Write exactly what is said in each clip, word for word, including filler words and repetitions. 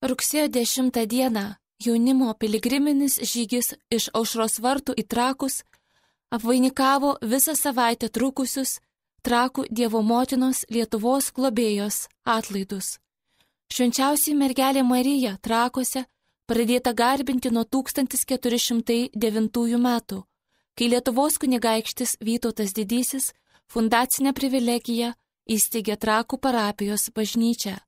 Rugsėjo dešimtą dieną jaunimo piligriminis žygis iš Aušros vartų į Trakus apvainikavo visą savaitę trukusius Trakų Dievo motinos Lietuvos globėjos atlaidus. Švenčiausiai mergelė Marija Trakuose pradėta garbinti nuo tūkstantis keturi šimtai devintųjų metų, kai Lietuvos kunigaikštis Vytautas Didysis fundacinę privilegiją įsteigė Trakų parapijos bažnyčią.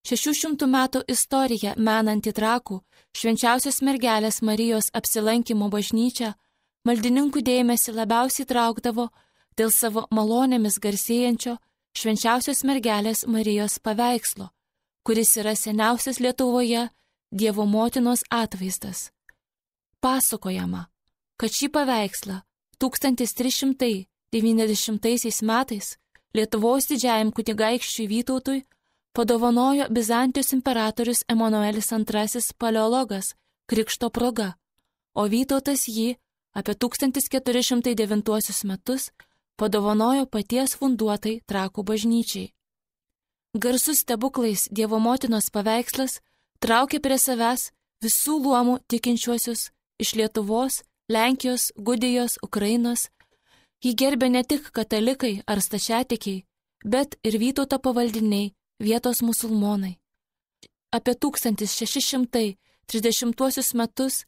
Šešių šimtų metų istorija menanti Trakų švenčiausios mergelės Marijos apsilankimo bažnyčią maldininkų dėmesį labiausiai traukdavo dėl savo malonėmis garsėjančio švenčiausios mergelės Marijos paveikslo, kuris yra seniausias Lietuvoje Dievo motinos atvaizdas. Pasakojama, kad šį paveikslą tūkstantis trys šimtai devyniasdešimtaisiais metais Lietuvos didžiajam kunigaikščiui Vytautui padovanojo Bizantijos imperatorius Emanuelis antrasis paleologas krikšto proga, o Vytautas jį apie tūkstantis keturi šimtai devintuosius metus padovanojo paties funduotai Trakų bažnyčiai. Garsus stebuklais Dievo motinos paveikslas traukė prie savęs visų luomų tikinčiuosius iš Lietuvos, Lenkijos, Gudijos, Ukrainos. Jį gerbė ne tik katalikai ar stačiatikiai, bet ir Vytauto pavaldiniai, vietos musulmonai. Apie tūkstantis šeši šimtai trisdešimtuosius metus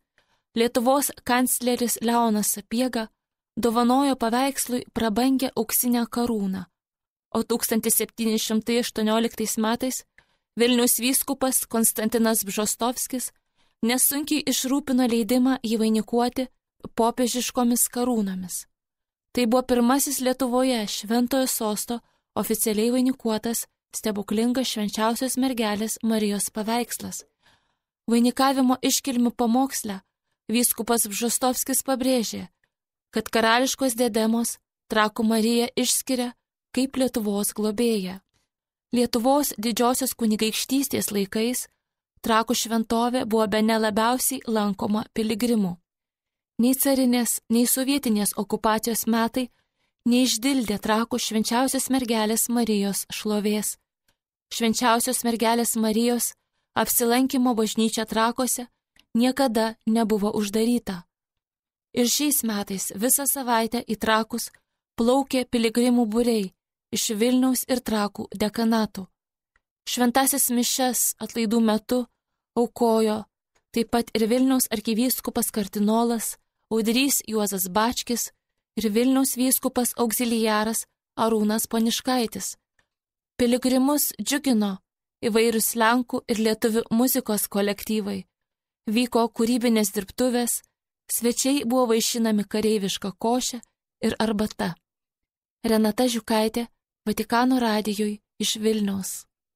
Lietuvos kancleris Leonas Sapiega dovanojo paveikslui prabangę auksinę karūną, o tūkstantis septyni šimtai aštuonioliktais metais Vilniaus vyskupas Konstantinas Bžostovskis nesunkiai išrūpino leidimą jį vainikuoti popiežiškomis karūnomis. Tai buvo pirmasis Lietuvoje šventojo sosto oficialiai vainikuotas stebuklingas švenčiausios mergelės Marijos paveikslas. Vainikavimo iškilmių pamoksle vyskupas Bžostovskis pabrėžė, kad karališkos diademos Trakų Mariją išskiria kaip Lietuvos globėja. Lietuvos didžiosios kunigaikštystės laikais Trakų šventovė buvo bene labiausiai lankoma piligrimų. Nei carinės, nei sovietinės okupacijos metai neišdildė Trakų švenčiausios mergelės Marijos šlovės. Švenčiausios mergelės Marijos apsilankimo bažnyčia Trakuose niekada nebuvo uždaryta. Ir šiais metais visą savaitę į Trakus plaukė piligrimų būriai iš Vilniaus ir Trakų dekanatų. Šventasis mišias atlaidų metu aukojo taip pat ir Vilniaus arkivyskupas kardinolas Audrys Juozas Bačkis ir Vilniaus vyskupas auxiliaras Arūnas Poniškaitis. Piligrimus džiugino įvairūs lenkų ir lietuvių muzikos kolektyvai, vyko kūrybinės dirbtuvės, svečiai buvo vaišinami kareiviška koše ir arbata. Renata Žiukaitė, Vatikano radijui iš Vilniaus.